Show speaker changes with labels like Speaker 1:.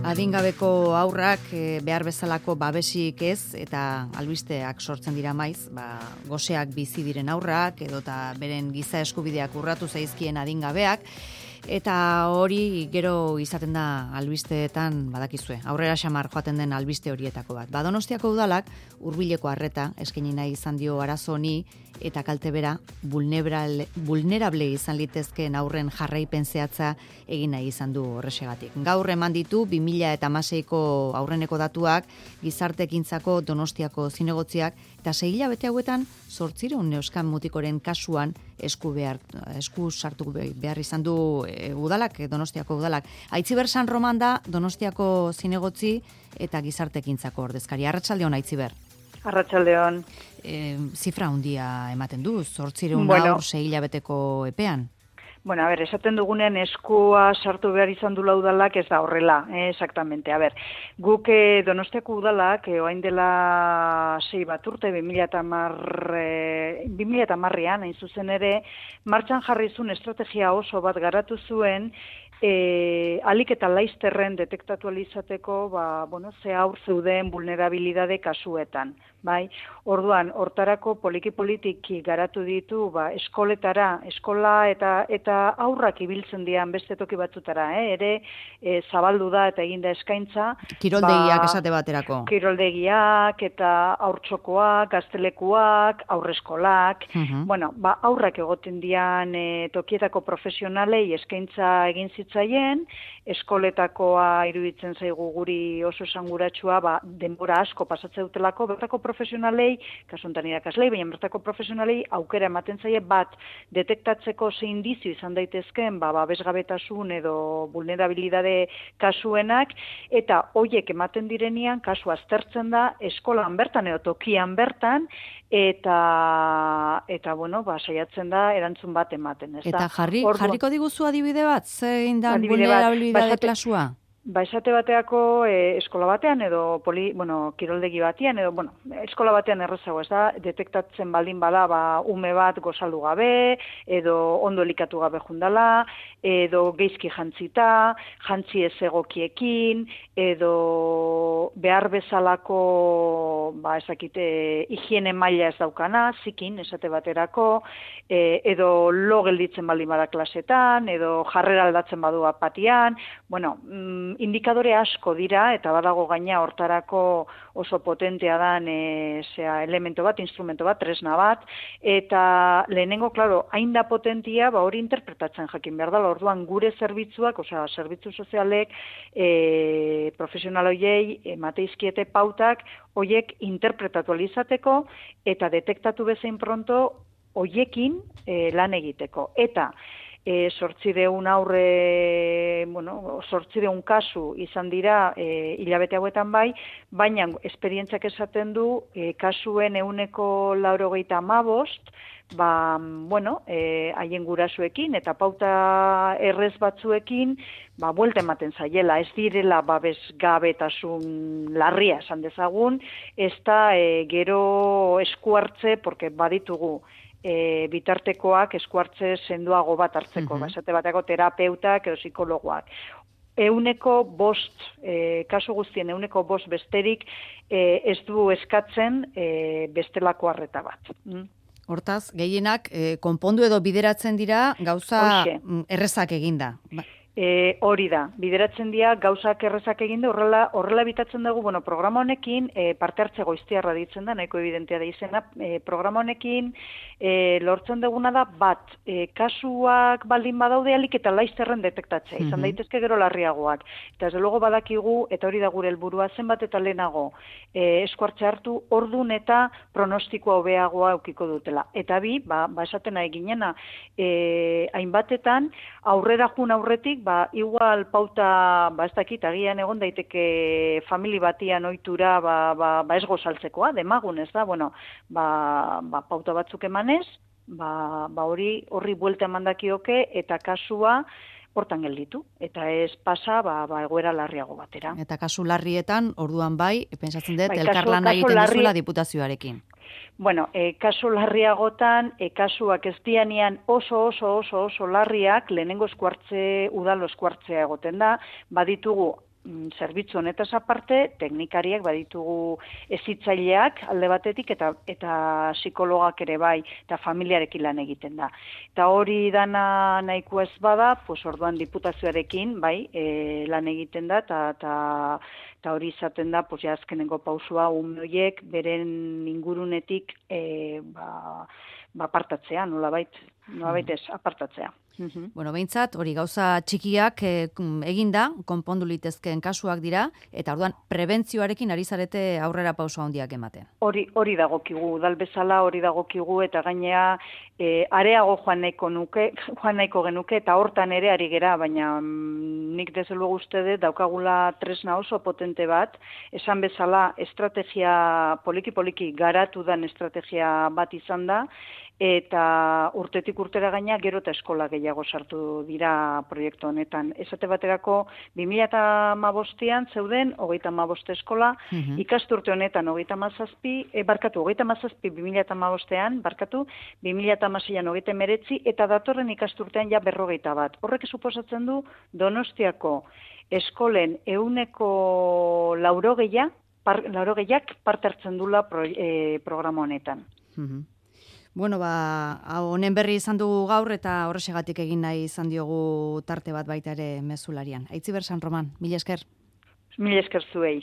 Speaker 1: Adingabeko haurrak behar bezalako babesik ez eta albisteak sortzen dira maiz, goseak bizi diren haurrak edota beren giza eskubideak urratu zaizkien adingabeak, eta hori gero izaten da albisteetan badakizue. Aurrera xamar joaten den albiste horietako bat. Donostiako udalak hurbileko arreta eskaini nahi izan dio arazo honi eta kalte bera vulnerable izan litezkeen aurren jarraipen zehatza egin nahi izan du horrexegatik. Gaur eman ditu 2016ko aurreneko datuak gizarteekintzako Donostiako zinegotziak eta 6 hilabete hauetan 800 neuskan mutikoren kasuan esku sartu behar izan du udalak, Donostiako udalak. Aitziber San Roman da Donostiako zinegotzi eta gizarteekintzako ordezkari. Arratsaldeon Aitziber.
Speaker 2: Arratsaldeon.
Speaker 1: Zifra handia ematen du, 800 haur 6 hilabeteko epean.
Speaker 2: Bueno, esaten dugunean eskua sartu behar izan dula udalak ez da horrela, exactamente. Guk Donostiako udalak, orain dela 6 bat urte, 2010an, hain zuzen ere, martxan jarri zuen estrategia oso bat garatu zuen, alik eta laizterren detektatu alizateko, ze haur zeuden vulnerabilidade kasuetan. Orduan, hortarako poliki-politiki garatu ditu, eskola eta aurrak ibiltzen dian beste toki batzutara, ere zabaldu da eta eginda eskaintza.
Speaker 1: Kiroldegiak esate baterako.
Speaker 2: Kiroldegiak eta haurtxokoak, gaztelekuak, aurreskolak. Aurrak egoten dian tokietako profesionalei eskaintza egin zitzaien, eskoletakoa iruditzen zaigu guri oso esanguratsua, denbora asko pasatzen dutelako, bertako profesionalei, kasuntan irakaslei, baina bertako profesionalei aukera ematen zaie bat detektatzeko ze indizio izan daitezkeen babesgabetasun edo vulnerabilidade kasuenak, eta hoiek ematen direnean kasu aztertzen da eskolan bertan edo tokian bertan, eta saiatzen da erantzun bat ematen.
Speaker 1: Eta jarriko diguzu adibide bat, zein da vulnerabilidade klasua?
Speaker 2: Esate bateako eskola batean edo kiroldegi batean edo eskola batean errezago, ez da, detektatzen baldin bada ume bat gozaldu gabe edo ondo elikatu gabe jundala, edo geizki jantzita, jantzi ez egokiekin, edo behar bezalako higiene maila ez daukana, zikin esate baterako, edo lo gelditzen baldin bada klasetan, edo jarrera aldatzen badu apatian, indikadore asko dira, eta badago gaina hortarako oso potentea dan elemento bat, instrumento bat, tresna bat, eta lehenengo, hain da potentia, hori interpretatzen jakin behar dela, orduan gure zerbitzuak, zerbitzu sozialek, profesional hoiei, emateizkiete pautak, hoiek interpretatu alizateko, eta detektatu bezain pronto, hoiekin lan egiteko. Eta, 800 kasu izan dira hilabete hauetan baina esperientziak esaten du kasuen 95%, haien gurasuekin eta pauta errez batzuekin, buelta ematen zaiela, ez direla babesgabetasun larria esan dezagun, ez da gero eskuartze, porque baditugu, bitartekoak eskuartze sendoago bat hartzeko, esate bateko terapeutak edo psikologoak. 5%, kasu guztien 5% besterik ez du eskatzen bestelako arreta bat.
Speaker 1: Hortaz, gehienak konpondu edo bideratzen dira gauza errezak eginda.
Speaker 2: Hori da, bideratzen dira gauzak errezak eginde, horrela bitatzen dugu, programa honekin, parte hartze goiztiarra ditzen da, nahiko evidentea da izena, programa honekin lortzen duguna da, kasuak baldin badaude alik eta laizterren detektatzea, izan daitezke gero larriagoak. Eta ez luego badakigu, eta hori da gure helburua zenbat eta lehenago eskuartze hartu, ordun eta pronostikoa hobeagoa eukiko dutela. Eta esaten nahi ginena, hainbatetan, aurrera jun aurretik, igual pauta, ez dakit, agian egon daiteke famili batian ohitura, ez gozaltzekoa, demagun, ez da, pauta batzuk emanez, horri buelta emandakioke eta kasua hortan gelditu, eta ez pasa egoera larriago batera.
Speaker 1: Eta kasu larrietan, orduan pentsatzen dut, elkarlana egiten duzula diputazioarekin.
Speaker 2: Bueno, kasu larriagotan, kasuak ez dianean oso larriak, lehenengo eskuartze, udalo eskuartzea egoten da, baditugu zerbitzu honetaz aparte, teknikariak baditugu hezitzaileak alde batetik eta psikologak ere bai, eta familiarekin lan egiten da. Eta hori dana nahiko ez bada, pues orduan diputazioarekin bai, lan egiten da, eta hori izaten da, pues ja azkenengo pausua ume horiek beren ingurunetik apartatzea, nolabait ez, apartatzea.
Speaker 1: Bueno, behintzat, hori gauza txikiak eginda, konpondu litezkeen kasuak dira, eta orduan prebentzioarekin ari zarete aurrera pauso handiak ematen.
Speaker 2: Hori dagokigu, udal bezala hori dagokigu, eta gainea areago joan nahiko genuke, eta hortan ere ari gera, baina nik desde luego uste dut daukagula tresna oso potente bat, esan bezala estrategia poliki garatu dan estrategia bat izan da, eta urtetik urtera gaina gero eta eskola gehiago sartu dira proiektu honetan. Esate baterako 2015an zeuden 35 eskola, ikasturte honetan 37, 2015an, 2016an 39 eta datorren ikasturtean ja 41. Horrek suposatzen du Donostiako eskolen 80%ak parte hartzen dula programa honetan.
Speaker 1: Bueno, honen berri izan dugu gaur eta horrexegatik egin nahi izan diogu tarte bat baita ere mezularian. Aitziber San Roman, mila esker.
Speaker 2: Mila esker zuei.